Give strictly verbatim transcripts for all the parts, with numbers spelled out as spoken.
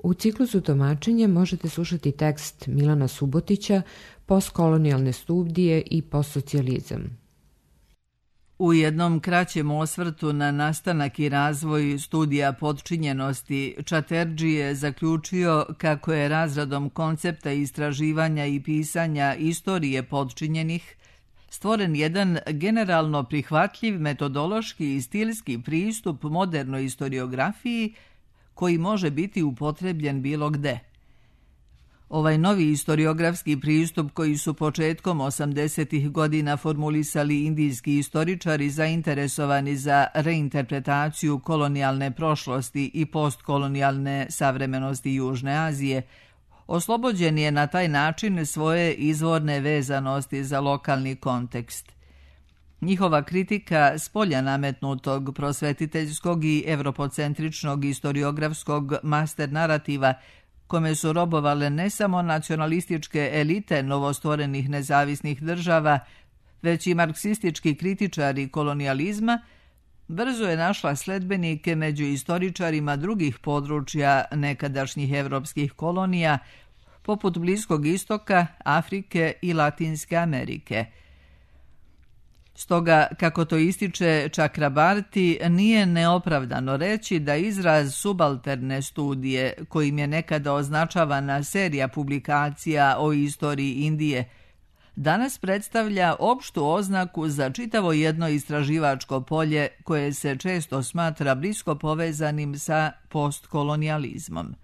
U ciklusu Tumačenje možete slušati tekst Milana Subotića Postkolonijalne studije i postsocijalizam. U jednom kraćem osvrtu na nastanak i razvoj studija potčinjenosti, Čaterdži je zaključio kako je razradom koncepta istraživanja i pisanja istorije potčinjenih stvoren jedan generalno prihvatljiv metodološki i stilski pristup modernoj istoriografiji koji može biti upotrebljen bilo gde. Ovaj novi istoriografski pristup koji su početkom osamdesetih godina formulisali indijski istoričari zainteresovani za reinterpretaciju kolonijalne prošlosti i postkolonijalne savremenosti Južne Azije, oslobođen je na taj način svoje izvorne vezanosti za lokalni kontekst. Njihova kritika spolja nametnutog prosvetiteljskog i evropocentričnog istoriografskog master narativa kome su robovale ne samo nacionalističke elite novostvorenih nezavisnih država, već i marksistički kritičari kolonijalizma, brzo je našla sledbenike među istoričarima drugih područja nekadašnjih evropskih kolonija, poput Bliskog istoka, Afrike i Latinske Amerike. Stoga, kako to ističe Čakrabarti, nije neopravdano reći da izraz subalterne studije, kojim je nekada označavana serija publikacija o istoriji Indije, danas predstavlja opštu oznaku za čitavo jedno istraživačko polje koje se često smatra blisko povezanim sa postkolonijalizmom.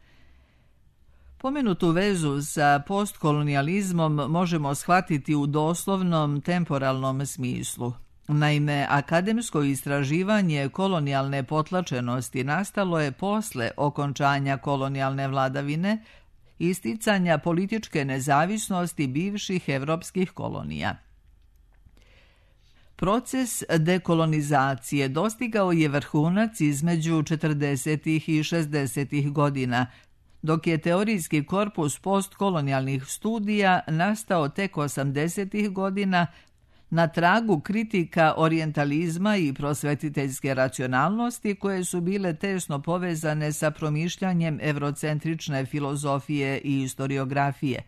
Pomenutu vezu sa postkolonijalizmom možemo shvatiti u doslovnom temporalnom smislu. Naime, akademsko istraživanje kolonijalne potlačenosti nastalo je posle okončanja kolonijalne vladavine, isticanja političke nezavisnosti bivših evropskih kolonija. Proces dekolonizacije dostigao je vrhunac između četrdesetih i šezdesetih godina, dok je teorijski korpus postkolonijalnih studija nastao tek osamdesetih godina na tragu kritika orijentalizma i prosvetiteljske racionalnosti koje su bile tesno povezane sa promišljanjem evrocentrične filozofije i istoriografije.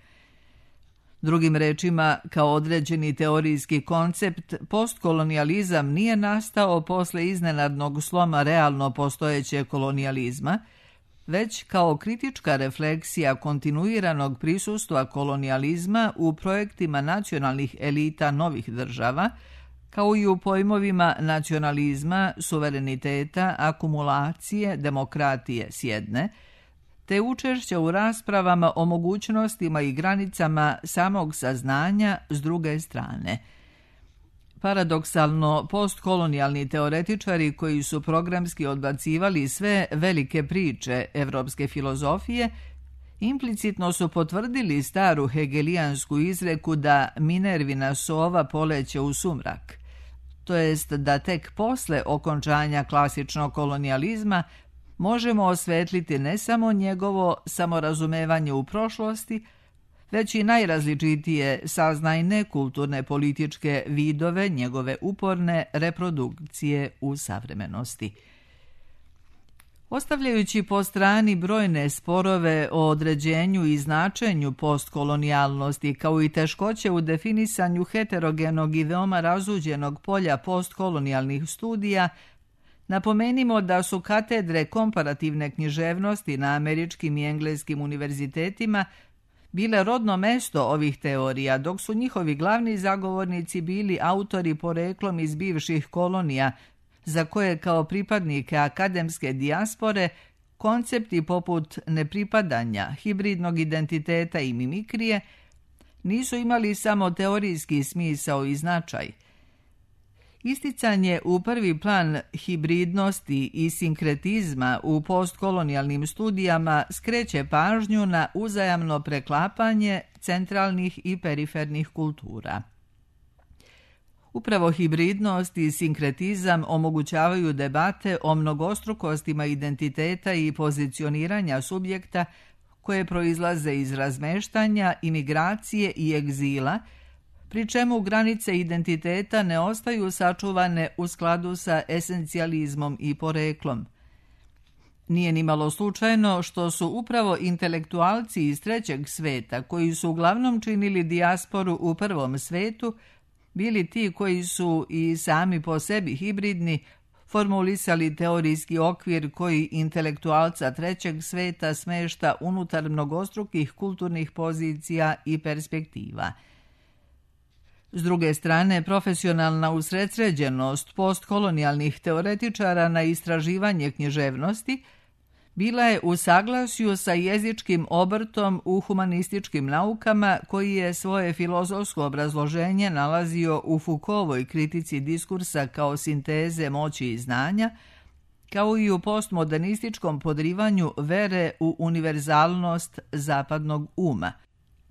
Drugim rečima, kao određeni teorijski koncept, postkolonijalizam nije nastao posle iznenadnog sloma realno postojećeg kolonijalizma, već kao kritička refleksija kontinuiranog prisustva kolonijalizma u projektima nacionalnih elita novih država, kao i u pojmovima nacionalizma, suvereniteta, akumulacije, demokratije s jedne, te učešća u raspravama o mogućnostima i granicama samog saznanja s druge strane. Paradoksalno, postkolonijalni teoretičari koji su programski odbacivali sve velike priče evropske filozofije, implicitno su potvrdili staru hegelijansku izreku da Minervina sova poleće u sumrak, to jest da tek posle okončanja klasičnog kolonijalizma možemo osvetliti ne samo njegovo samorazumevanje u prošlosti, već i najrazličitije saznajne kulturne političke vidove njegove uporne reprodukcije u savremenosti. Ostavljajući po strani brojne sporove o određenju i značenju postkolonijalnosti, kao i teškoće u definisanju heterogenog i veoma razuđenog polja postkolonijalnih studija, napomenimo da su katedre komparativne književnosti na američkim i engleskim univerzitetima bile rodno mesto ovih teorija, dok su njihovi glavni zagovornici bili autori poreklom iz bivših kolonija, za koje kao pripadnike akademske dijaspore koncepti poput nepripadanja, hibridnog identiteta i mimikrije nisu imali samo teorijski smisao i značaj. Isticanje u prvi plan hibridnosti i sinkretizma u postkolonijalnim studijama skreće pažnju na uzajamno preklapanje centralnih i perifernih kultura. Upravo hibridnost i sinkretizam omogućavaju debate o mnogostrukostima identiteta i pozicioniranja subjekta koje proizlaze iz razmeštanja, imigracije i egzila, pri čemu granice identiteta ne ostaju sačuvane u skladu sa esencijalizmom i poreklom. Nije nimalo slučajno što su upravo intelektualci iz trećeg sveta, koji su uglavnom činili dijasporu u prvom svetu, bili ti koji su i sami po sebi hibridni, formulisali teorijski okvir koji intelektualca trećeg sveta smešta unutar mnogostrukih kulturnih pozicija i perspektiva. S druge strane, profesionalna usredsređenost postkolonijalnih teoretičara na istraživanje književnosti bila je u saglasju sa jezičkim obrtom u humanističkim naukama, koji je svoje filozofsko obrazloženje nalazio u Foucaultovoj kritici diskursa kao sinteze moći i znanja, kao i u postmodernističkom podrivanju vere u univerzalnost zapadnog uma.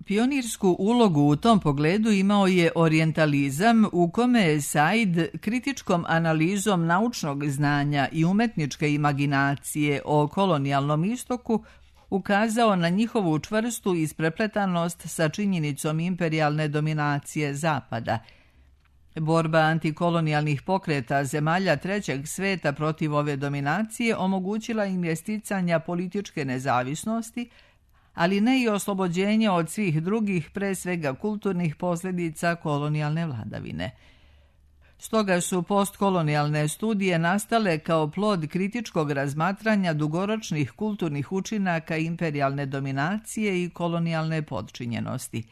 Pionirsku ulogu u tom pogledu imao je orijentalizam, u kome je Said kritičkom analizom naučnog znanja i umetničke imaginacije o kolonijalnom istoku ukazao na njihovu čvrstu isprepletanost sa činjenicom imperijalne dominacije Zapada. Borba antikolonijalnih pokreta zemalja trećeg sveta protiv ove dominacije omogućila im je sticanja političke nezavisnosti, ali ne i oslobođenje od svih drugih, pre svega kulturnih posljedica kolonijalne vladavine. Stoga su postkolonijalne studije nastale kao plod kritičkog razmatranja dugoročnih kulturnih učinaka imperijalne dominacije i kolonijalne podčinjenosti.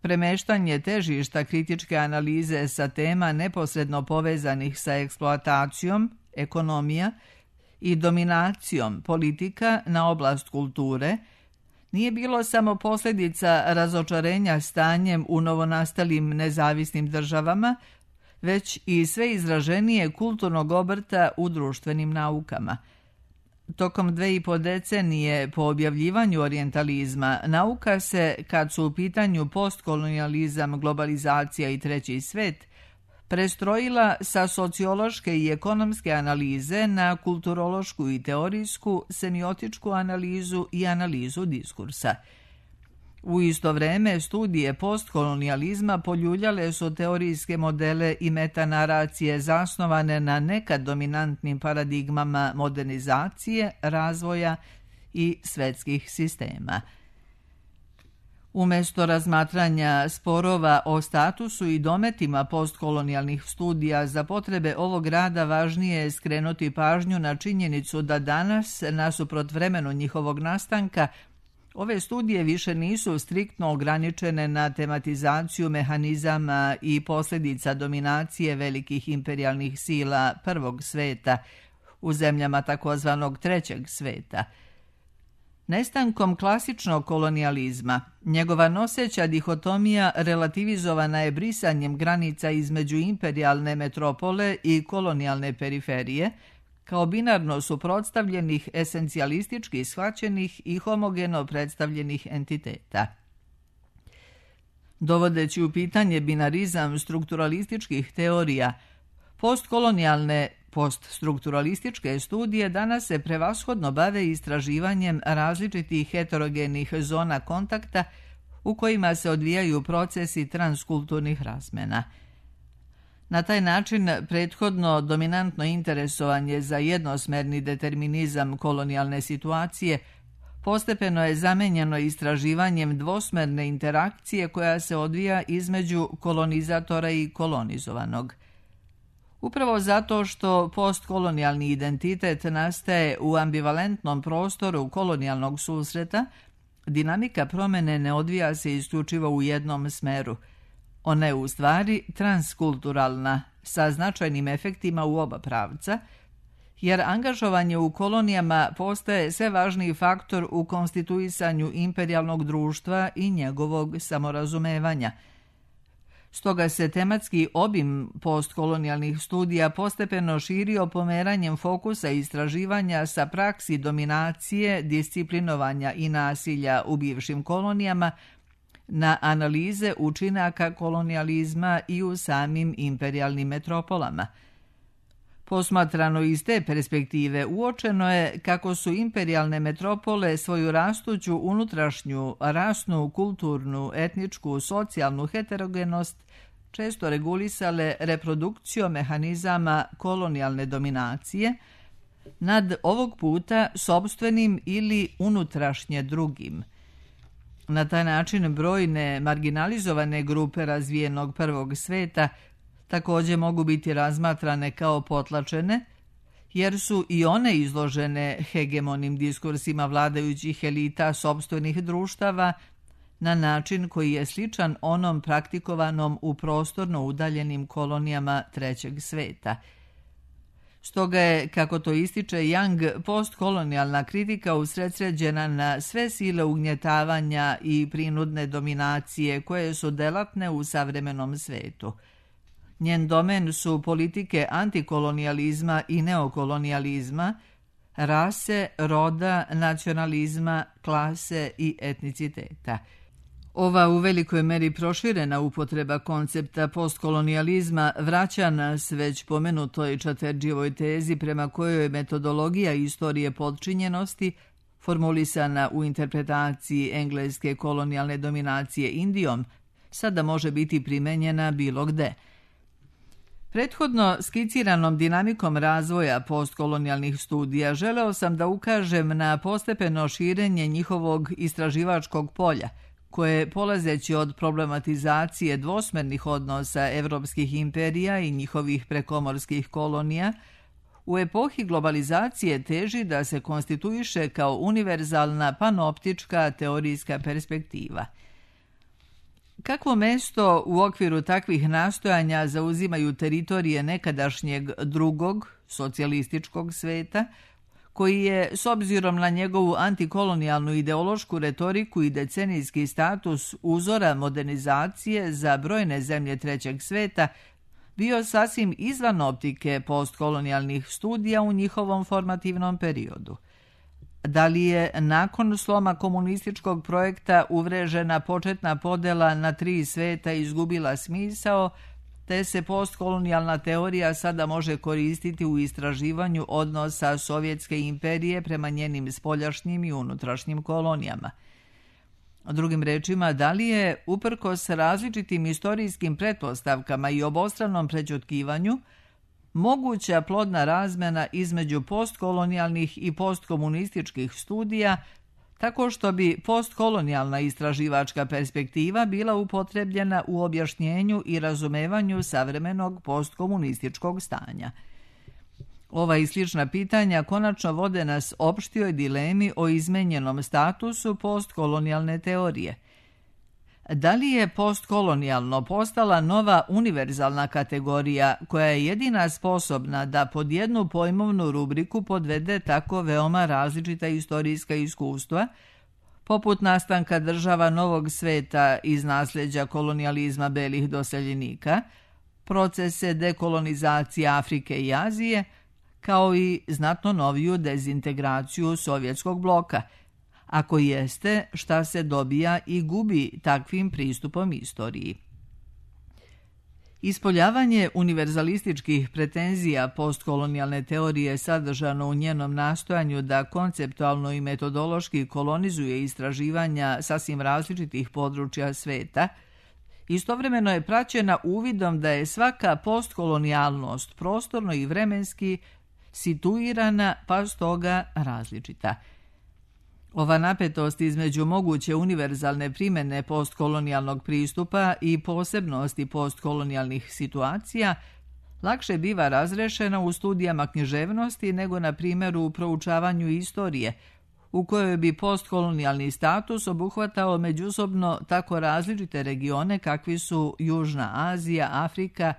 Premeštanje težišta kritičke analize sa tema neposredno povezanih sa eksploatacijom, ekonomija i dominacijom politika na oblast kulture nije bilo samo posljedica razočarenja stanjem u novonastalim nezavisnim državama, već i sve izraženije kulturnog obrta u društvenim naukama. Tokom dve i po decenije po objavljivanju orijentalizma, nauka se, kad su u pitanju postkolonijalizam, globalizacija i treći svet, prestrojila sa sociološke i ekonomske analize na kulturološku i teorijsku, semiotičku analizu i analizu diskursa. U isto vreme, studije postkolonijalizma poljuljale su teorijske modele i metanaracije zasnovane na nekad dominantnim paradigmama modernizacije, razvoja i svetskih sistema. Umjesto razmatranja sporova o statusu i dometima postkolonijalnih studija za potrebe ovog rada, važnije je skrenuti pažnju na činjenicu da danas, nasuprot vremenu njihovog nastanka, ove studije više nisu striktno ograničene na tematizaciju mehanizama i posljedica dominacije velikih imperijalnih sila prvog sveta u zemljama takozvanog trećeg sveta. Nestankom klasičnog kolonijalizma, njegova noseća dihotomija relativizovana je brisanjem granica između imperijalne metropole i kolonijalne periferije, kao binarno suprotstavljenih, esencijalistički shvaćenih i homogeno predstavljenih entiteta. Dovodeći u pitanje binarizam strukturalističkih teorija, postkolonijalne poststrukturalističke studije danas se prevashodno bave istraživanjem različitih heterogenih zona kontakta u kojima se odvijaju procesi transkulturnih razmjena. Na taj način prethodno dominantno interesovanje za jednosmerni determinizam kolonijalne situacije postepeno je zamenjeno istraživanjem dvosmerne interakcije koja se odvija između kolonizatora i kolonizovanog. Upravo zato što postkolonijalni identitet nastaje u ambivalentnom prostoru kolonijalnog susreta, dinamika promjene ne odvija se isključivo u jednom smeru. Ona je u stvari transkulturalna, sa značajnim efektima u oba pravca, jer angažovanje u kolonijama postaje sve važniji faktor u konstituisanju imperijalnog društva i njegovog samorazumevanja. Stoga se tematski obim postkolonijalnih studija postepeno širio pomeranjem fokusa istraživanja sa praksi dominacije, disciplinovanja i nasilja u bivšim kolonijama na analize učinaka kolonijalizma i u samim imperijalnim metropolama. Posmatrano iz te perspektive, uočeno je kako su imperijalne metropole svoju rastuću unutrašnju, rasnu, kulturnu, etničku, socijalnu heterogenost često regulisale reprodukcijom mehanizama kolonijalne dominacije, nad ovog puta sopstvenim ili unutrašnje drugim. Na taj način brojne marginalizovane grupe razvijenog prvog sveta također mogu biti razmatrane kao potlačene, jer su i one izložene hegemonim diskursima vladajućih elita sopstvenih društava na način koji je sličan onom praktikovanom u prostorno udaljenim kolonijama trećeg sveta. Stoga je, kako to ističe Young, postkolonijalna kritika usredsređena na sve sile ugnjetavanja i prinudne dominacije koje su delatne u savremenom svetu. Njen domen su politike antikolonijalizma i neokolonijalizma, rase, roda, nacionalizma, klase i etniciteta. Ova u velikoj meri proširena upotreba koncepta postkolonijalizma vraća nas već pomenutoj Čaterdžijevoj tezi prema kojoj metodologija istorije podčinjenosti, formulisana u interpretaciji engleske kolonijalne dominacije Indijom, sada može biti primenjena bilo gde. Prethodno skiciranom dinamikom razvoja postkolonijalnih studija želeo sam da ukažem na postepeno širenje njihovog istraživačkog polja, koje, polazeći od problematizacije dvosmernih odnosa evropskih imperija i njihovih prekomorskih kolonija, u epohi globalizacije teži da se konstituiše kao univerzalna panoptička teorijska perspektiva. Kakvo mesto u okviru takvih nastojanja zauzimaju teritorije nekadašnjeg drugog, socijalističkog sveta, koji je, s obzirom na njegovu antikolonijalnu ideološku retoriku i decenijski status uzora modernizacije za brojne zemlje trećeg sveta, bio sasvim izvan optike postkolonijalnih studija u njihovom formativnom periodu. Da li je nakon sloma komunističkog projekta uvrežena početna podela na tri sveta izgubila smisao, te se postkolonijalna teorija sada može koristiti u istraživanju odnosa Sovjetske imperije prema njenim spoljašnjim i unutrašnjim kolonijama. Drugim rečima, da li je, uprkos različitim istorijskim pretpostavkama i obostranom prećutkivanju, moguća plodna razmena između postkolonijalnih i postkomunističkih studija, tako što bi postkolonijalna istraživačka perspektiva bila upotrebljena u objašnjenju i razumevanju savremenog postkomunističkog stanja. Ova i slična pitanja konačno vode nas opštijoj dilemi o izmenjenom statusu postkolonijalne teorije. Da li je postkolonijalno postala nova univerzalna kategorija koja je jedina sposobna da pod jednu pojmovnu rubriku podvede tako veoma različita istorijska iskustva, poput nastanka država novog sveta iz nasljeđa kolonijalizma belih doseljenika, procese dekolonizacije Afrike i Azije, kao i znatno noviju dezintegraciju sovjetskog bloka? Ako jeste, šta se dobija i gubi takvim pristupom istoriji? Ispoljavanje univerzalističkih pretenzija postkolonijalne teorije sadržano u njenom nastojanju da konceptualno i metodološki kolonizuje istraživanja sasvim različitih područja sveta, istovremeno je praćena uvidom da je svaka postkolonijalnost prostorno i vremenski situirana, pa stoga različita. Ova napetost između moguće univerzalne primjene postkolonijalnog pristupa i posebnosti postkolonijalnih situacija lakše biva razrešena u studijama književnosti nego na primjeru u proučavanju istorije, u kojoj bi postkolonijalni status obuhvatao međusobno tako različite regione kakvi su Južna Azija, Afrika,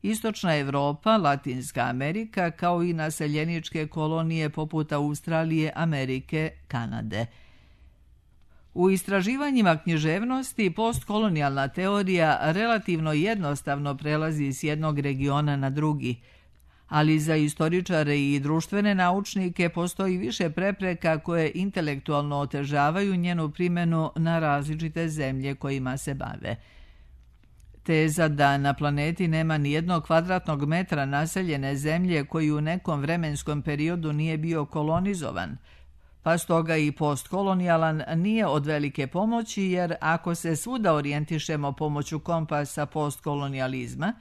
Istočna Evropa, Latinska Amerika, kao i naseljeničke kolonije poput Australije, Amerike, Kanade. U istraživanjima književnosti postkolonijalna teorija relativno jednostavno prelazi s jednog regiona na drugi, ali za istoričare i društvene naučnike postoji više prepreka koje intelektualno otežavaju njenu primjenu na različite zemlje kojima se bave. Teza da na planeti nema ni jednog kvadratnog metra naseljene zemlje koji u nekom vremenskom periodu nije bio kolonizovan, pa stoga i postkolonijalan, nije od velike pomoći, jer ako se svuda orijentišemo pomoću kompasa postkolonijalizma,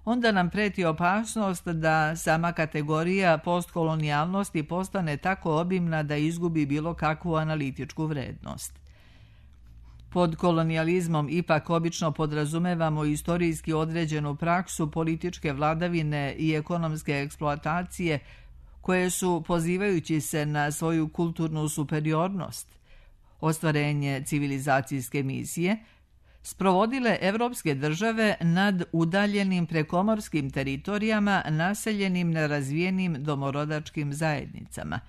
onda nam preti opasnost da sama kategorija postkolonijalnosti postane tako obimna da izgubi bilo kakvu analitičku vrednost. Pod kolonijalizmom ipak obično podrazumevamo istorijski određenu praksu političke vladavine i ekonomske eksploatacije koje su, pozivajući se na svoju kulturnu superiornost, ostvarenje civilizacijske misije, sprovodile evropske države nad udaljenim prekomorskim teritorijama naseljenim nerazvijenim domorodačkim zajednicama.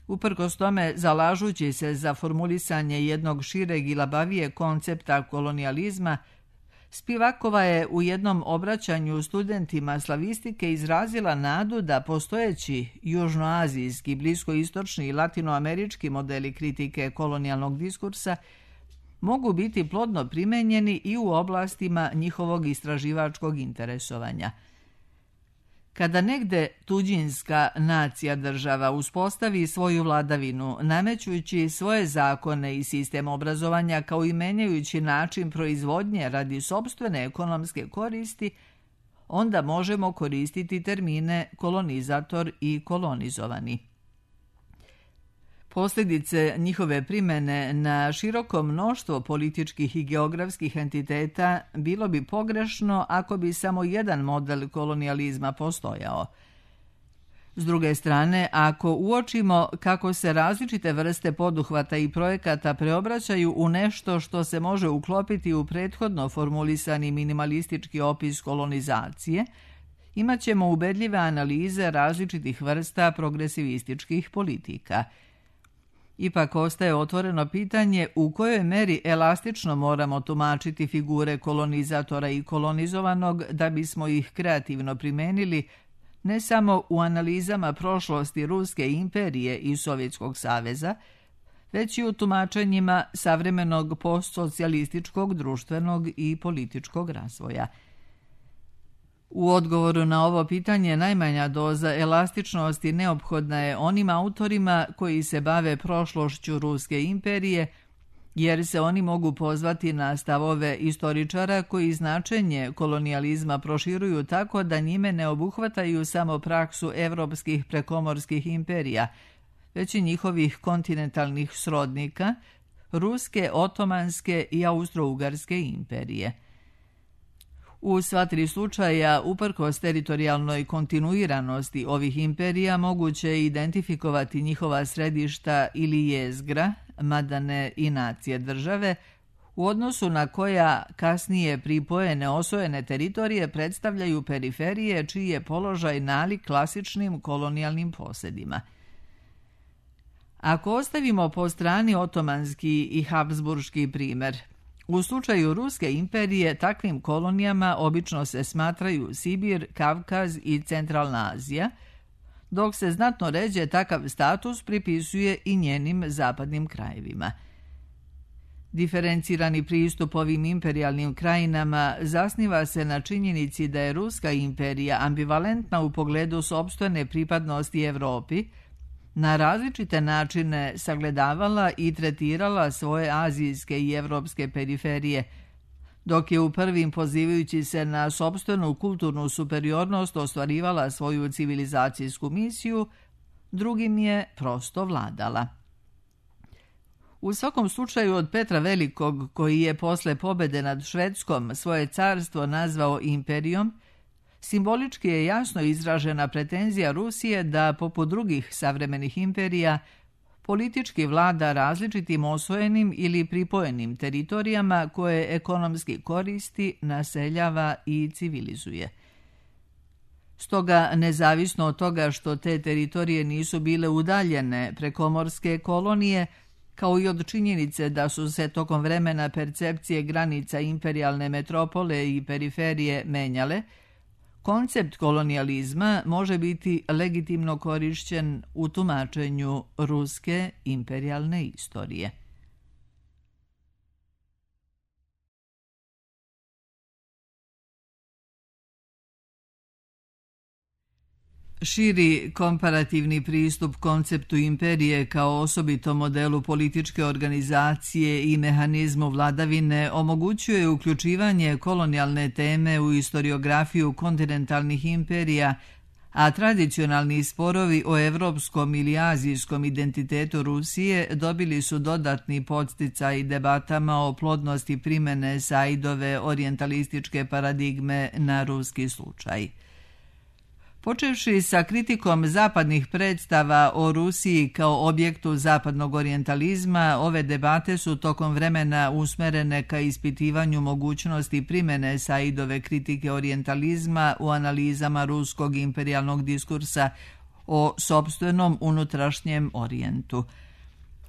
Uprkos tome, zalažući se za formulisanje jednog šireg i labavije koncepta kolonijalizma, Spivakova je u jednom obraćanju studentima slavistike izrazila nadu da postojeći južnoazijski, bliskoistočni i latinoamerički modeli kritike kolonijalnog diskursa mogu biti plodno primenjeni i u oblastima njihovog istraživačkog interesovanja. Kada negde tuđinska nacija država uspostavi svoju vladavinu, namećujući svoje zakone i sistem obrazovanja kao i menjajući način proizvodnje radi sopstvene ekonomske koristi, onda možemo koristiti termine kolonizator i kolonizovani. Posljedice njihove primene na široko mnoštvo političkih i geografskih entiteta bilo bi pogrešno ako bi samo jedan model kolonijalizma postojao. S druge strane, ako uočimo kako se različite vrste poduhvata i projekata preobraćaju u nešto što se može uklopiti u prethodno formulisani minimalistički opis kolonizacije, imat ćemo ubedljive analize različitih vrsta progresivističkih politika. Ipak ostaje otvoreno pitanje u kojoj meri elastično moramo tumačiti figure kolonizatora i kolonizovanog da bismo ih kreativno primenili ne samo u analizama prošlosti Ruske imperije i Sovjetskog saveza, već i u tumačenjima savremenog postsocijalističkog društvenog i političkog razvoja. U odgovoru na ovo pitanje najmanja doza elastičnosti neophodna je onim autorima koji se bave prošlošću Ruske imperije, jer se oni mogu pozvati na stavove istoričara koji značenje kolonijalizma proširuju tako da njime ne obuhvataju samo praksu evropskih prekomorskih imperija, već i njihovih kontinentalnih srodnika, Ruske, Otomanske i Austro-Ugarske imperije. U sva tri slučaja, uprkos teritorijalnoj kontinuiranosti ovih imperija, moguće je identifikovati njihova središta ili jezgra, mada ne i nacije države, u odnosu na koja kasnije pripojene osvojene teritorije predstavljaju periferije čiji je položaj nalik klasičnim kolonijalnim posjedima. Ako ostavimo po strani otomanski i habsburški primjer, u slučaju Ruske imperije takvim kolonijama obično se smatraju Sibir, Kavkaz i Centralna Azija, dok se znatno ređe takav status pripisuje i njenim zapadnim krajevima. Diferencirani pristup ovim imperijalnim krajinama zasniva se na činjenici da je Ruska imperija ambivalentna u pogledu sopstvene pripadnosti Evropi, na različite načine sagledavala i tretirala svoje azijske i evropske periferije, dok je u prvim pozivajući se na sopstvenu kulturnu superiornost ostvarivala svoju civilizacijsku misiju, drugim je prosto vladala. U svakom slučaju od Petra Velikog, koji je posle pobede nad Švedskom svoje carstvo nazvao imperijom, simbolički je jasno izražena pretenzija Rusije da, poput drugih savremenih imperija, politički vlada različitim osvojenim ili pripojenim teritorijama koje ekonomski koristi, naseljava i civilizuje. Stoga, nezavisno od toga što te teritorije nisu bile udaljene prekomorske kolonije, kao i od činjenice da su se tokom vremena percepcije granica imperijalne metropole i periferije menjale, koncept kolonijalizma može biti legitimno korišćen u tumačenju ruske imperijalne istorije. Širi komparativni pristup konceptu imperije kao osobito modelu političke organizacije i mehanizmu vladavine omogućuje uključivanje kolonijalne teme u historiografiju kontinentalnih imperija, a tradicionalni sporovi o evropskom ili azijskom identitetu Rusije dobili su dodatni podsticaj debatama o plodnosti primene Saidove orijentalističke paradigme na ruski slučaj. Počevši sa kritikom zapadnih predstava o Rusiji kao objektu zapadnog orijentalizma, ove debate su tokom vremena usmerene ka ispitivanju mogućnosti primene Saidove kritike orijentalizma u analizama ruskog imperijalnog diskursa o sopstvenom unutrašnjem orijentu.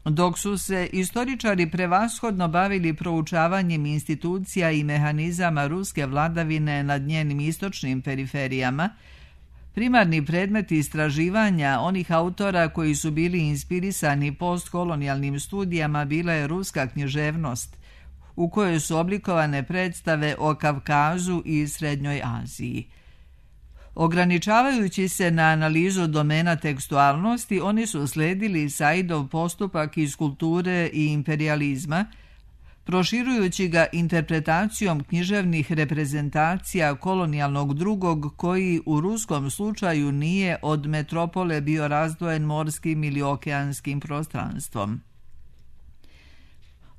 Dok su se istoričari prevashodno bavili proučavanjem institucija i mehanizama ruske vladavine nad njenim istočnim periferijama, primarni predmet istraživanja onih autora koji su bili inspirisani postkolonijalnim studijama bila je ruska književnost, u kojoj su oblikovane predstave o Kavkazu i Srednjoj Aziji. Ograničavajući se na analizu domena tekstualnosti, oni su sledili Saidov postupak iz kulture i imperijalizma, proširujući ga interpretacijom književnih reprezentacija kolonijalnog drugog koji u ruskom slučaju nije od metropole bio razdvojen morskim ili okeanskim prostranstvom.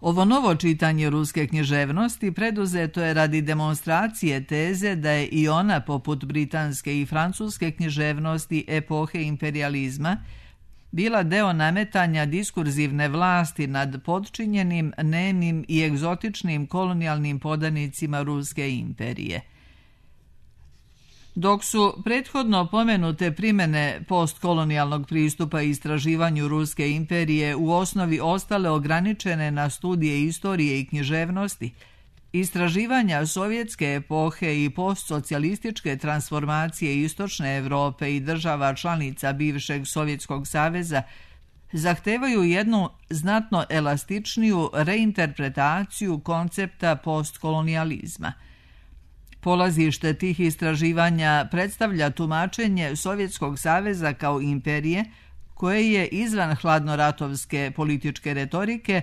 Ovo novo čitanje ruske književnosti preduzeto je radi demonstracije teze da je i ona, poput britanske i francuske književnosti epohe imperijalizma, bila deo nametanja diskurzivne vlasti nad potčinjenim, nemim i egzotičnim kolonijalnim podanicima ruske imperije. Dok su prethodno pomenute primene postkolonijalnog pristupa istraživanju ruske imperije u osnovi ostale ograničene na studije istorije i književnosti, istraživanja sovjetske epohe i postsocijalističke transformacije istočne Evrope i država članica bivšeg Sovjetskog saveza zahtevaju jednu znatno elastičniju reinterpretaciju koncepta postkolonijalizma. Polazište tih istraživanja predstavlja tumačenje Sovjetskog saveza kao imperije, koje je izvan hladnoratovske političke retorike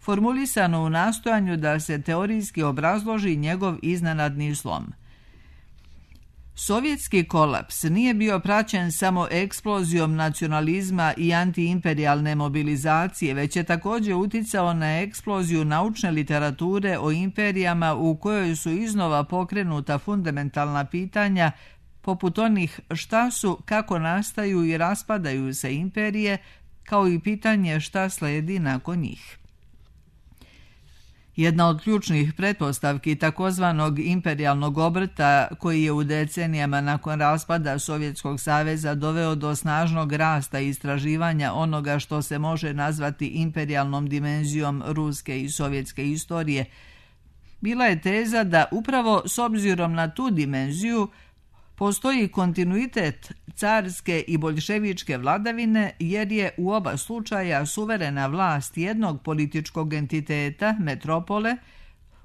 formulisano u nastojanju da se teorijski obrazloži njegov iznenadni slom. Sovjetski kolaps nije bio praćen samo eksplozijom nacionalizma i antiimperijalne mobilizacije, već je također uticao na eksploziju naučne literature o imperijama u kojoj su iznova pokrenuta fundamentalna pitanja poput onih šta su, kako nastaju i raspadaju se imperije, kao i pitanje šta sledi nakon njih. Jedna od ključnih pretpostavki takozvanog imperijalnog obrta, koji je u decenijama nakon raspada Sovjetskog saveza doveo do snažnog rasta istraživanja onoga što se može nazvati imperijalnom dimenzijom ruske i sovjetske istorije, bila je teza da upravo s obzirom na tu dimenziju postoji kontinuitet carske i boljševičke vladavine, jer je u oba slučaja suverena vlast jednog političkog entiteta, metropole,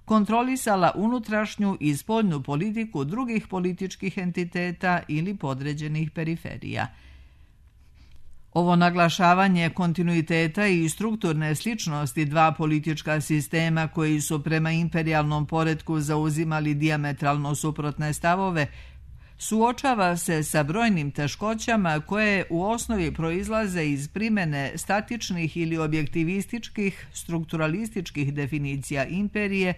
kontrolisala unutrašnju i spoljnu politiku drugih političkih entiteta ili podređenih periferija. Ovo naglašavanje kontinuiteta i strukturne sličnosti dva politička sistema koji su prema imperijalnom poretku zauzimali dijametralno suprotne stavove suočava se sa brojnim teškoćama koje u osnovi proizlaze iz primene statičnih ili objektivističkih, strukturalističkih definicija imperije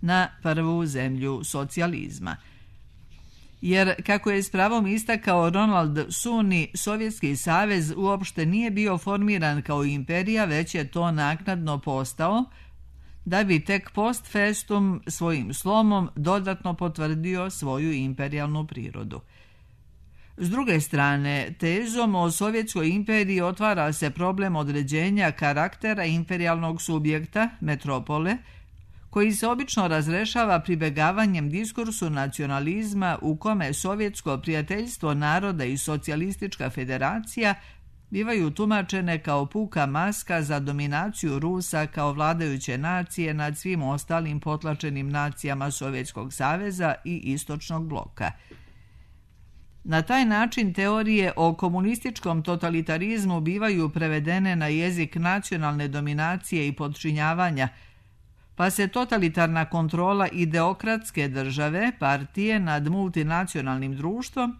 na prvu zemlju socijalizma. Jer, kako je s pravom istakao Ronald Suni, Sovjetski savez uopšte nije bio formiran kao imperija, već je to naknadno postao, da bi tek post festum svojim slomom dodatno potvrdio svoju imperijalnu prirodu. S druge strane, tezom o Sovjetskoj imperiji otvara se problem određenja karaktera imperijalnog subjekta, metropole, koji se obično razrešava pribegavanjem diskursu nacionalizma u kome sovjetsko prijateljstvo naroda i socijalistička federacija bivaju tumačene kao puka maska za dominaciju Rusa kao vladajuće nacije nad svim ostalim potlačenim nacijama Sovjetskog saveza i istočnog bloka. Na taj način teorije o komunističkom totalitarizmu bivaju prevedene na jezik nacionalne dominacije i podčinjavanja, pa se totalitarna kontrola ideokratske države, partije nad multinacionalnim društvom,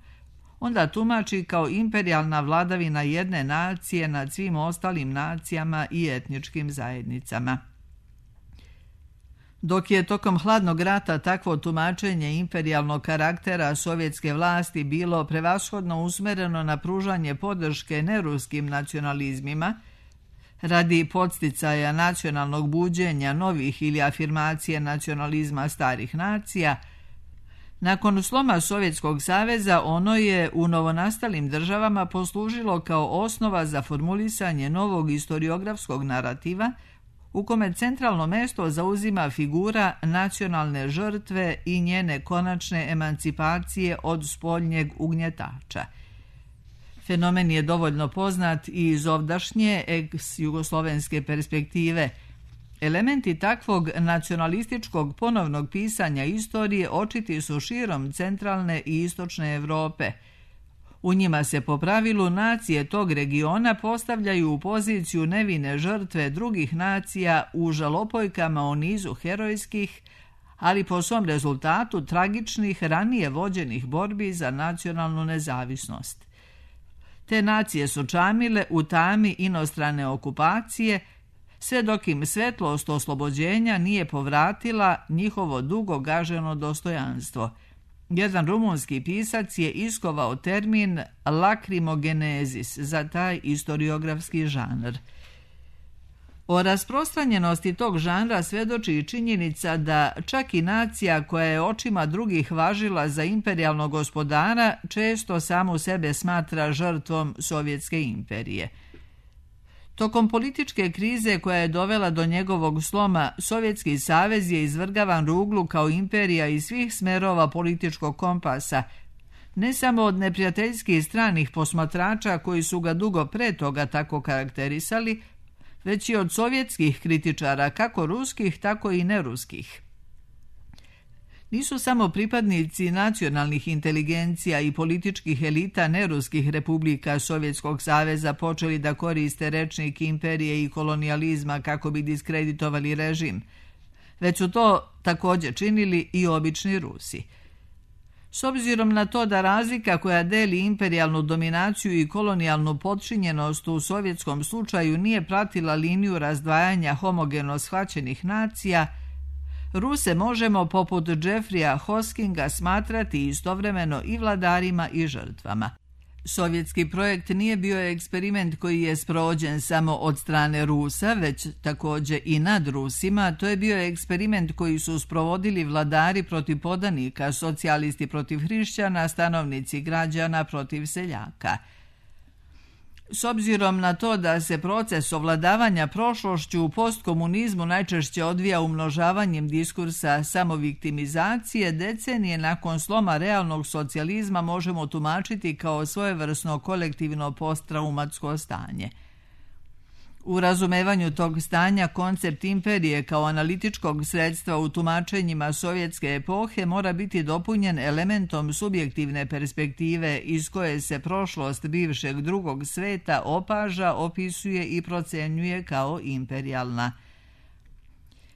onda tumači kao imperijalna vladavina jedne nacije nad svim ostalim nacijama i etničkim zajednicama. Dok je tokom hladnog rata takvo tumačenje imperijalnog karaktera sovjetske vlasti bilo prevashodno usmereno na pružanje podrške neruskim nacionalizmima, radi podsticaja nacionalnog buđenja novih ili afirmacije nacionalizma starih nacija, nakon sloma Sovjetskog saveza ono je u novonastalim državama poslužilo kao osnova za formulisanje novog historiografskog narativa u kome centralno mesto zauzima figura nacionalne žrtve i njene konačne emancipacije od spoljnjeg ugnjetača. Fenomen je dovoljno poznat i iz ovdašnje ex-jugoslovenske perspektive. Elementi takvog nacionalističkog ponovnog pisanja istorije očiti su širom centralne i istočne Evrope. U njima se po pravilu nacije tog regiona postavljaju u poziciju nevine žrtve drugih nacija u žalopojkama o nizu herojskih, ali po svom rezultatu tragičnih ranije vođenih borbi za nacionalnu nezavisnost. Te nacije su čamile u tami inostrane okupacije, sve dok im svetlost oslobođenja nije povratila njihovo dugo gaženo dostojanstvo. Jedan rumunski pisac je iskovao termin lakrimogenezis za taj historiografski žanr. O rasprostranjenosti tog žanra svedoči i činjenica da čak i nacija koja je očima drugih važila za imperijalnog gospodara često samu sebe smatra žrtvom Sovjetske imperije. Tokom političke krize koja je dovela do njegovog sloma, Sovjetski savez je izvrgavan ruglu kao imperija iz svih smerova političkog kompasa, ne samo od neprijateljskih stranih posmatrača koji su ga dugo pre toga tako karakterisali, već i od sovjetskih kritičara, kako ruskih, tako i neruskih. Nisu samo pripadnici nacionalnih inteligencija i političkih elita neruskih republika Sovjetskog saveza počeli da koriste rečnik imperije i kolonijalizma kako bi diskreditovali režim, već su to također činili i obični Rusi. S obzirom na to da razlika koja deli imperijalnu dominaciju i kolonijalnu podčinjenost u sovjetskom slučaju nije pratila liniju razdvajanja homogeno shvaćenih nacija, Ruse možemo poput Jeffreya Hoskinga smatrati istovremeno i vladarima i žrtvama. Sovjetski projekt nije bio eksperiment koji je sprovođen samo od strane Rusa, već također i nad Rusima. To je bio eksperiment koji su sprovodili vladari protiv podanika, socijalisti protiv hrišćana, stanovnici građana protiv seljaka. S obzirom na to da se proces ovladavanja prošlošću u postkomunizmu najčešće odvija umnožavanjem diskursa samoviktimizacije, decenije nakon sloma realnog socijalizma možemo tumačiti kao svojevrsno kolektivno posttraumatsko stanje. U razumevanju tog stanja koncept imperije kao analitičkog sredstva u tumačenjima sovjetske epohe mora biti dopunjen elementom subjektivne perspektive iz koje se prošlost bivšeg drugog sveta opaža, opisuje i procenjuje kao imperijalna.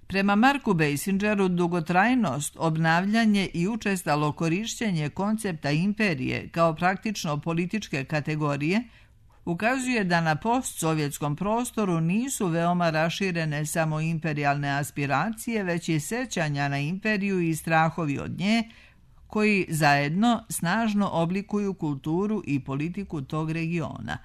Prema Marku Beisingeru, dugotrajnost, obnavljanje i učestalo korišćenje koncepta imperije kao praktično političke kategorije ukazuje da na postsovjetskom prostoru nisu veoma raširene samo imperijalne aspiracije, već i sećanja na imperiju i strahovi od nje, koji zajedno snažno oblikuju kulturu i politiku tog regiona.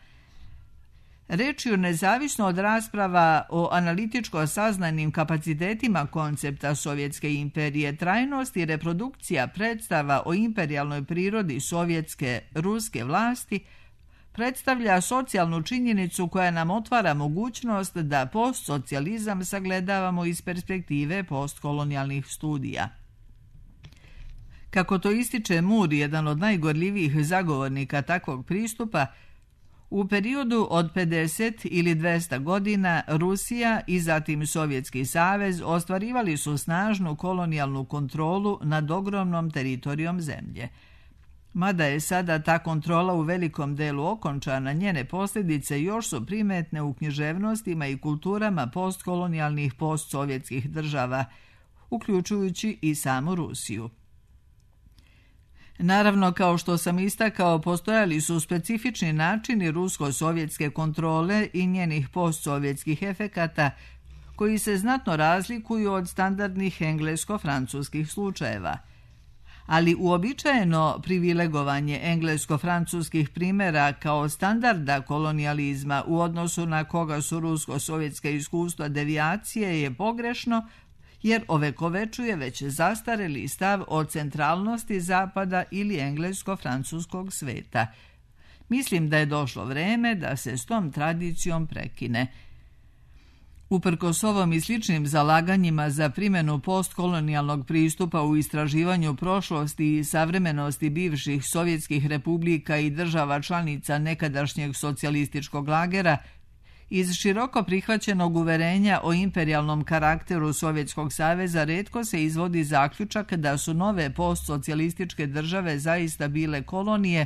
Rečju nezavisno od rasprava o analitičko saznanim kapacitetima koncepta Sovjetske imperije, trajnost i reprodukcija predstava o imperijalnoj prirodi sovjetske ruske vlasti predstavlja socijalnu činjenicu koja nam otvara mogućnost da postsocijalizam sagledavamo iz perspektive postkolonijalnih studija. Kako to ističe Moore, jedan od najgorljivijih zagovornika takvog pristupa, u periodu od pedeset ili dvesta godina Rusija i zatim Sovjetski savez ostvarivali su snažnu kolonijalnu kontrolu nad ogromnom teritorijom zemlje. Mada je sada ta kontrola u velikom delu okončana, njene posljedice još su primetne u književnostima i kulturama postkolonijalnih postsovjetskih država, uključujući i samu Rusiju. Naravno, kao što sam istakao, postojali su specifični načini rusko-sovjetske kontrole i njenih postsovjetskih efekata, koji se znatno razlikuju od standardnih englesko-francuskih slučajeva. Ali uobičajeno privilegovanje englesko-francuskih primjera kao standarda kolonijalizma u odnosu na koga su rusko-sovjetska iskustva devijacije je pogrešno, jer ovekovečuje već zastareli stav o centralnosti Zapada ili englesko-francuskog sveta. Mislim da je došlo vreme da se s tom tradicijom prekine. Uprkos ovom i sličnim zalaganjima za primjenu postkolonijalnog pristupa u istraživanju prošlosti i savremenosti bivših sovjetskih republika i država članica nekadašnjeg socijalističkog lagera, iz široko prihvaćenog uverenja o imperijalnom karakteru Sovjetskog saveza retko se izvodi zaključak da su nove postsocijalističke države zaista bile kolonije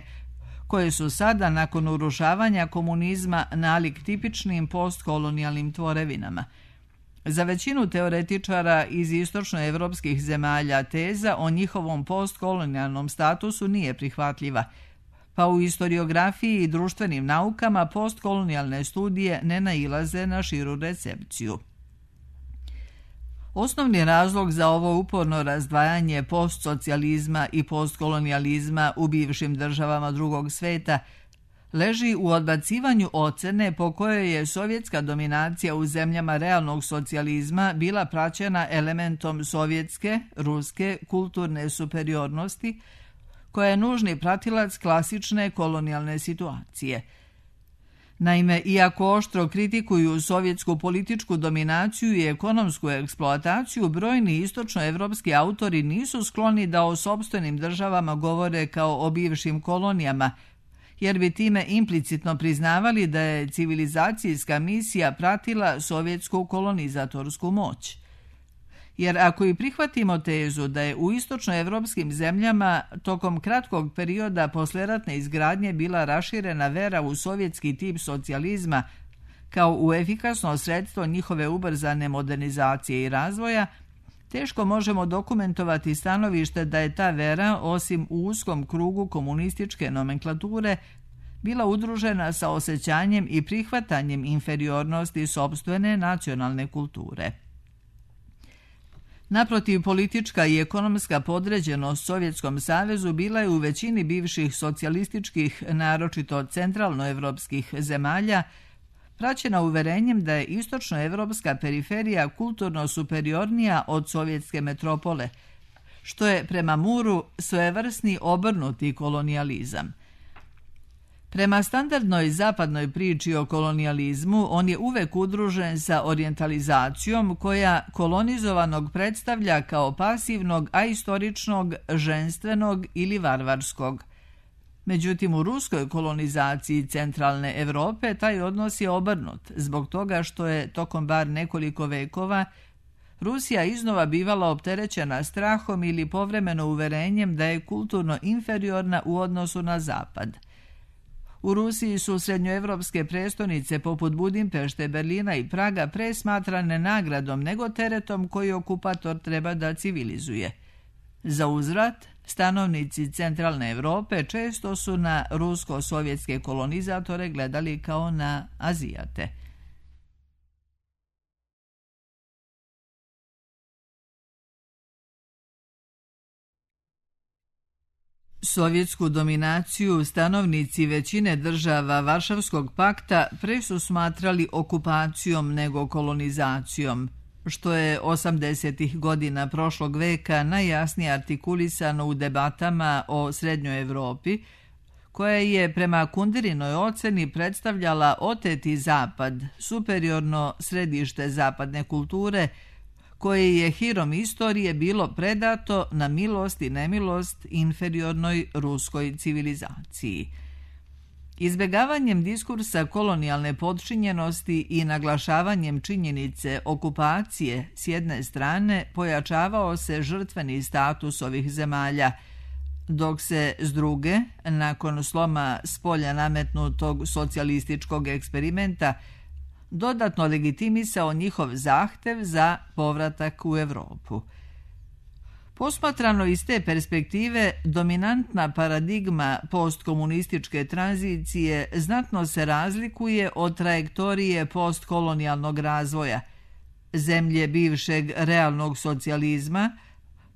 koje su sada, nakon urušavanja komunizma, nalik tipičnim postkolonijalnim tvorevinama. Za većinu teoretičara iz istočnoevropskih zemalja teza o njihovom postkolonijalnom statusu nije prihvatljiva, pa u historiografiji i društvenim naukama postkolonijalne studije ne nailaze na širu recepciju. Osnovni razlog za ovo uporno razdvajanje postsocijalizma i postkolonijalizma u bivšim državama drugog sveta leži u odbacivanju ocene po kojoj je sovjetska dominacija u zemljama realnog socijalizma bila praćena elementom sovjetske, ruske, kulturne superiornosti, koja je nužni pratilac klasične kolonijalne situacije. Naime, iako oštro kritikuju sovjetsku političku dominaciju i ekonomsku eksploataciju, brojni istočnoevropski autori nisu skloni da o sopstvenim državama govore kao o bivšim kolonijama, jer bi time implicitno priznavali da je civilizacijska misija pratila sovjetsku kolonizatorsku moć. Jer ako i prihvatimo tezu da je u istočnoevropskim zemljama tokom kratkog perioda posleratne izgradnje bila raširena vera u sovjetski tip socijalizma kao u efikasno sredstvo njihove ubrzane modernizacije i razvoja, teško možemo dokumentovati stanovište da je ta vera, osim u uskom krugu komunističke nomenklature, bila udružena sa osjećanjem i prihvatanjem inferiornosti sopstvene nacionalne kulture. Naprotiv, politička i ekonomska podređenost Sovjetskom savezu bila je u većini bivših socijalističkih, naročito centralnoevropskih zemalja, praćena uverenjem da je istočnoevropska periferija kulturno superiornija od sovjetske metropole, što je prema Muru svojevrsni obrnuti kolonijalizam. Prema standardnoj zapadnoj priči o kolonijalizmu, on je uvek udružen sa orijentalizacijom koja kolonizovanog predstavlja kao pasivnog, ahistoričnog, ženstvenog ili varvarskog. Međutim, u ruskoj kolonizaciji centralne Evrope taj odnos je obrnut, zbog toga što je tokom bar nekoliko vekova Rusija iznova bivala opterećena strahom ili povremeno uverenjem da je kulturno inferiorna u odnosu na zapad. U Rusiji su srednjoevropske prestonice poput Budimpešte, Berlina i Praga pre smatrane nagradom nego teretom koji okupator treba da civilizuje. Za uzvrat, stanovnici centralne Evrope često su na rusko-sovjetske kolonizatore gledali kao na Azijate. Sovjetsku dominaciju stanovnici većine država Varšavskog pakta pre su smatrali okupacijom nego kolonizacijom, što je osamdesetih godina prošlog veka najjasnije artikulisano u debatama o Srednjoj Evropi, koja je prema Kunderinoj oceni predstavljala oteti zapad, superiorno središte zapadne kulture, koje je hirom istorije bilo predato na milost i nemilost inferiornoj ruskoj civilizaciji. Izbegavanjem diskursa kolonijalne podčinjenosti i naglašavanjem činjenice okupacije s jedne strane pojačavao se žrtveni status ovih zemalja, dok se s druge, nakon sloma spolja nametnutog socijalističkog eksperimenta, dodatno legitimisao njihov zahtev za povratak u Evropu. Posmatrano iz te perspektive, dominantna paradigma postkomunističke tranzicije znatno se razlikuje od trajektorije postkolonijalnog razvoja. Zemlje bivšeg realnog socijalizma,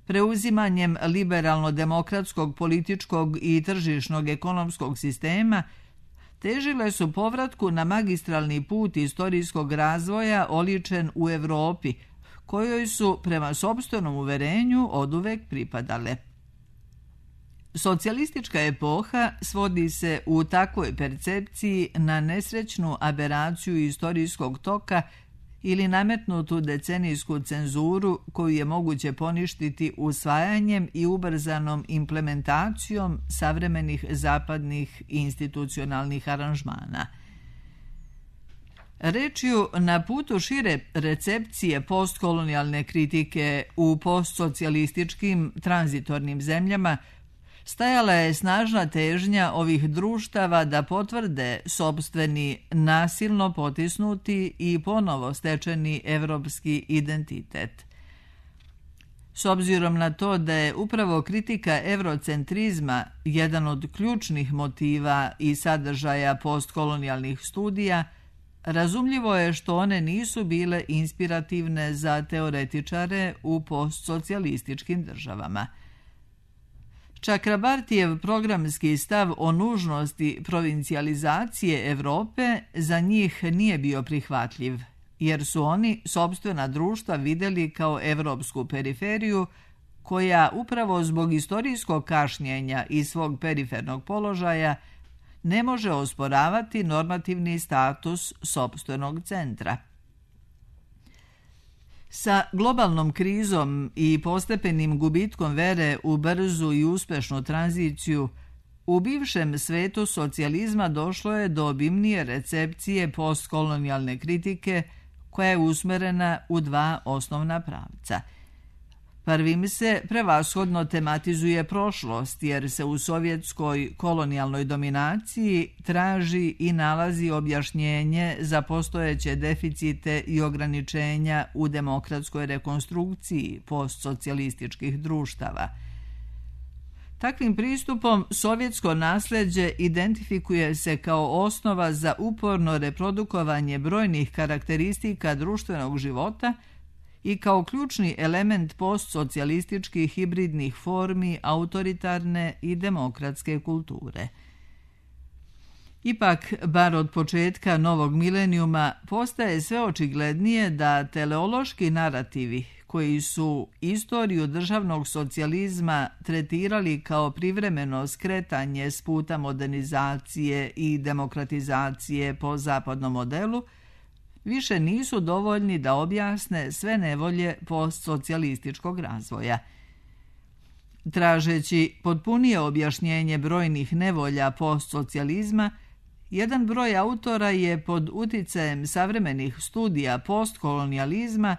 preuzimanjem liberalno-demokratskog političkog i tržišnog ekonomskog sistema, težile su povratku na magistralni put istorijskog razvoja oličen u Evropi, kojoj su prema sopstvenom uverenju oduvek pripadale. Socijalistička epoha svodi se u takvoj percepciji na nesrećnu aberaciju istorijskog toka ili nametnutu decenijsku cenzuru koju je moguće poništiti usvajanjem i ubrzanom implementacijom savremenih zapadnih institucionalnih aranžmana. Rečju, na putu šire recepcije postkolonijalne kritike u postsocijalističkim tranzitornim zemljama stajala je snažna težnja ovih društava da potvrde sopstveni nasilno potisnuti i ponovo stečeni evropski identitet. S obzirom na to da je upravo kritika evrocentrizma jedan od ključnih motiva i sadržaja postkolonijalnih studija, razumljivo je što one nisu bile inspirativne za teoretičare u postsocijalističkim državama. Chakrabartijev programski stav o nužnosti provincijalizacije Evrope za njih nije bio prihvatljiv, jer su oni sopstvena društva vidjeli kao evropsku periferiju koja upravo zbog istorijskog kašnjenja i svog perifernog položaja ne može osporavati normativni status sopstvenog centra. Sa globalnom krizom i postepenim gubitkom vere u brzu i uspešnu tranziciju, u bivšem svetu socijalizma došlo je do obimnije recepcije postkolonijalne kritike koja je usmerena u dva osnovna pravca. Prvim se prevashodno tematizuje prošlost, jer se u sovjetskoj kolonijalnoj dominaciji traži i nalazi objašnjenje za postojeće deficite i ograničenja u demokratskoj rekonstrukciji postsocijalističkih društava. Takvim pristupom sovjetsko nasljeđe identifikuje se kao osnova za uporno reprodukovanje brojnih karakteristika društvenog života i kao ključni element postsocijalističkih hibridnih formi autoritarne i demokratske kulture. Ipak, bar od početka novog milenijuma, postaje sve očiglednije da teleološki narativi koji su istoriju državnog socijalizma tretirali kao privremeno skretanje s puta modernizacije i demokratizacije po zapadnom modelu, više nisu dovoljni da objasne sve nevolje postsocijalističkog razvoja. Tražeći potpunije objašnjenje brojnih nevolja postsocijalizma, jedan broj autora je pod uticajem savremenih studija postkolonijalizma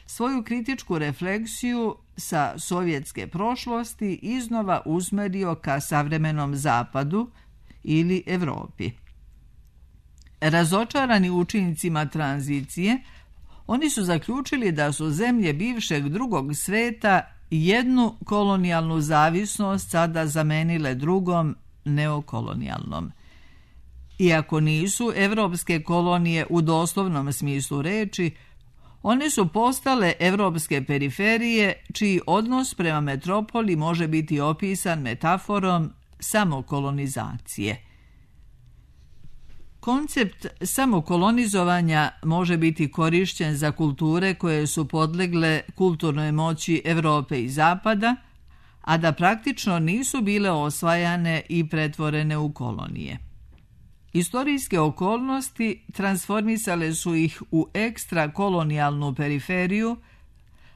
svoju kritičku refleksiju sa sovjetske prošlosti iznova usmerio ka savremenom zapadu ili Evropi. Razočarani učincima tranzicije, oni su zaključili da su zemlje bivšeg drugog sveta jednu kolonijalnu zavisnost sada zamenile drugom neokolonijalnom. Iako nisu evropske kolonije u doslovnom smislu reči, one su postale evropske periferije čiji odnos prema metropoli može biti opisan metaforom samokolonizacije. Koncept samokolonizovanja može biti korišćen za kulture koje su podlegle kulturnoj moći Evrope i Zapada, a da praktično nisu bile osvajane i pretvorene u kolonije. Istorijske okolnosti transformisale su ih u ekstrakolonijalnu periferiju,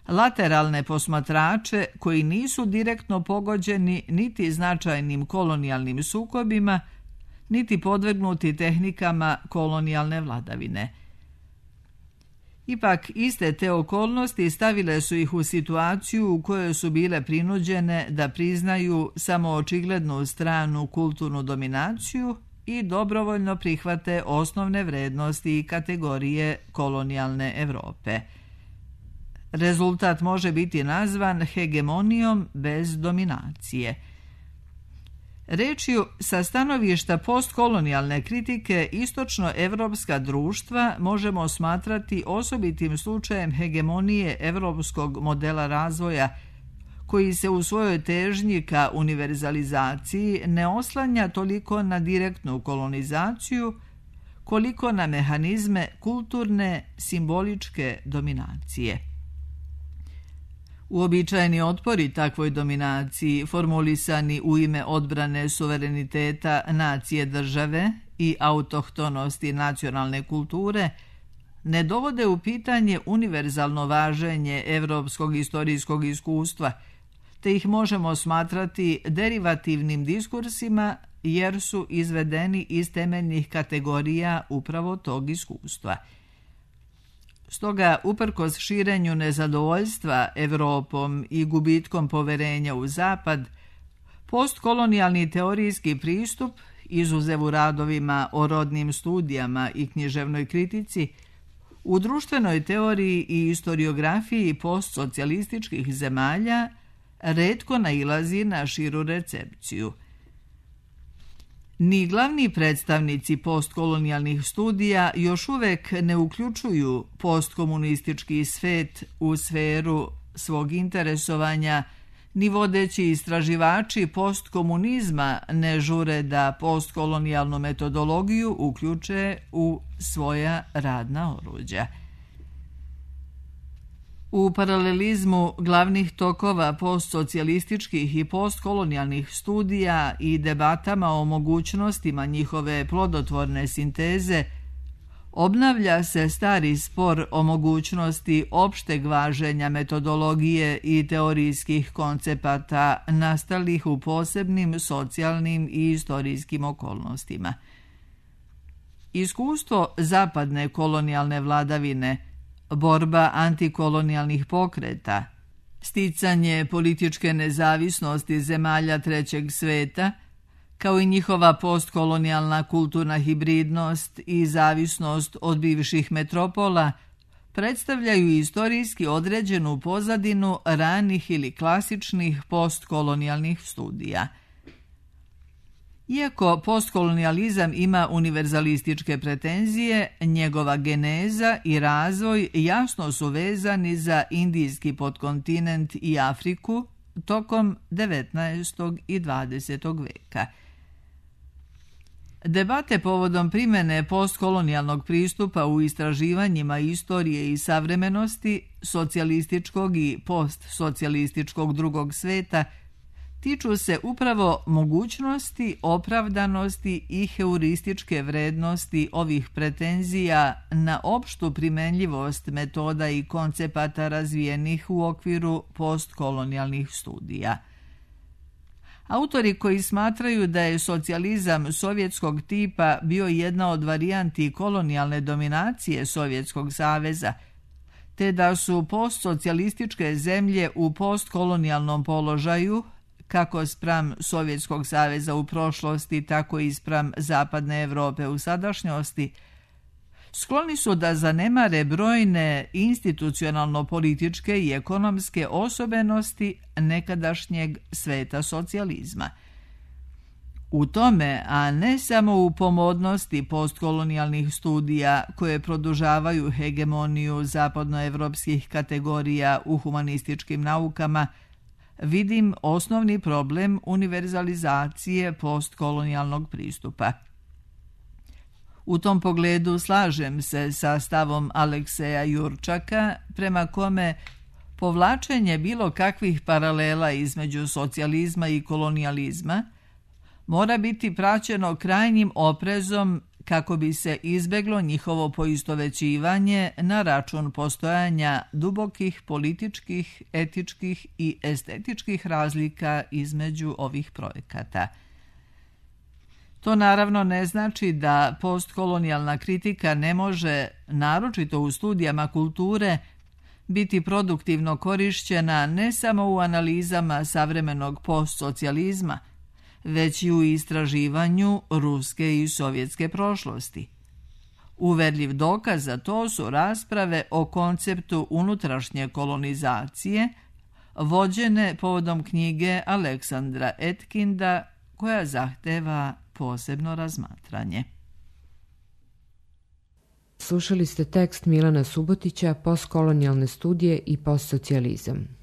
lateralne posmatrače koji nisu direktno pogođeni niti značajnim kolonijalnim sukobima, niti podvrgnuti tehnikama kolonijalne vladavine. Ipak, iste te okolnosti stavile su ih u situaciju u kojoj su bile prinuđene da priznaju samo očiglednu stranu kulturnu dominaciju i dobrovoljno prihvate osnovne vrednosti i kategorije kolonijalne Evrope. Rezultat može biti nazvan hegemonijom bez dominacije. Rečju, sa stanovišta postkolonijalne kritike, istočnoevropska društva možemo smatrati osobitim slučajem hegemonije evropskog modela razvoja, koji se u svojoj težnji ka univerzalizaciji ne oslanja toliko na direktnu kolonizaciju, koliko na mehanizme kulturne, simboličke dominacije. Uobičajeni otpori takvoj dominaciji, formulisani u ime odbrane suvereniteta nacije države i autohtonosti nacionalne kulture, ne dovode u pitanje univerzalno važenje evropskog istorijskog iskustva, te ih možemo smatrati derivativnim diskursima jer su izvedeni iz temeljnih kategorija upravo tog iskustva. Stoga, uprkos širenju nezadovoljstva Evropom i gubitkom poverenja u Zapad, postkolonijalni teorijski pristup, izuzev u radovima o rodnim studijama i književnoj kritici, u društvenoj teoriji i istoriografiji postsocijalističkih zemalja retko nailazi na širu recepciju. Ni glavni predstavnici postkolonijalnih studija još uvek ne uključuju postkomunistički svet u sferu svog interesovanja, ni vodeći istraživači postkomunizma ne žure da postkolonijalnu metodologiju uključe u svoja radna oruđa. U paralelizmu glavnih tokova postsocijalističkih i postkolonijalnih studija i debatama o mogućnostima njihove plodotvorne sinteze, obnavlja se stari spor o mogućnosti opšteg važenja metodologije i teorijskih koncepata nastalih u posebnim socijalnim i istorijskim okolnostima. Iskustvo zapadne kolonijalne vladavine, borba antikolonijalnih pokreta, sticanje političke nezavisnosti zemalja trećeg sveta, kao i njihova postkolonijalna kulturna hibridnost i zavisnost od bivših metropola, predstavljaju istorijski određenu pozadinu ranih ili klasičnih postkolonijalnih studija. Iako postkolonijalizam ima univerzalističke pretenzije, njegova geneza i razvoj jasno su vezani za indijski podkontinent i Afriku tokom devetnaestog i dvadesetog veka. Debate povodom primjene postkolonijalnog pristupa u istraživanjima istorije i savremenosti socijalističkog i postsocijalističkog drugog sveta tiču se upravo mogućnosti, opravdanosti i heurističke vrednosti ovih pretenzija na opštu primenljivost metoda i koncepata razvijenih u okviru postkolonijalnih studija. Autori koji smatraju da je socijalizam sovjetskog tipa bio jedna od varijanti kolonijalne dominacije Sovjetskog saveza, te da su postsocijalističke zemlje u postkolonijalnom položaju, kako spram Sovjetskog saveza u prošlosti, tako i spram Zapadne Evrope u sadašnjosti, skloni su da zanemare brojne institucionalno-političke i ekonomske osobenosti nekadašnjeg sveta socijalizma. U tome, a ne samo u pomodnosti postkolonijalnih studija koje produžavaju hegemoniju zapadnoevropskih kategorija u humanističkim naukama, vidim osnovni problem univerzalizacije postkolonijalnog pristupa. U tom pogledu slažem se sa stavom Alekseja Jurčaka, prema kome povlačenje bilo kakvih paralela između socijalizma i kolonijalizma mora biti praćeno krajnjim oprezom kako bi se izbeglo njihovo poistovećivanje na račun postojanja dubokih političkih, etičkih i estetičkih razlika između ovih projekata. To naravno ne znači da postkolonijalna kritika ne može, naročito u studijama kulture, biti produktivno korišćena ne samo u analizama savremenog postsocijalizma, već i u istraživanju ruske i sovjetske prošlosti. Uverljiv dokaz za to su rasprave o konceptu unutrašnje kolonizacije, vođene povodom knjige Aleksandra Etkinda, koja zahteva posebno razmatranje. Slušali ste tekst Milana Subotića, Postkolonijalne studije i postsocijalizam.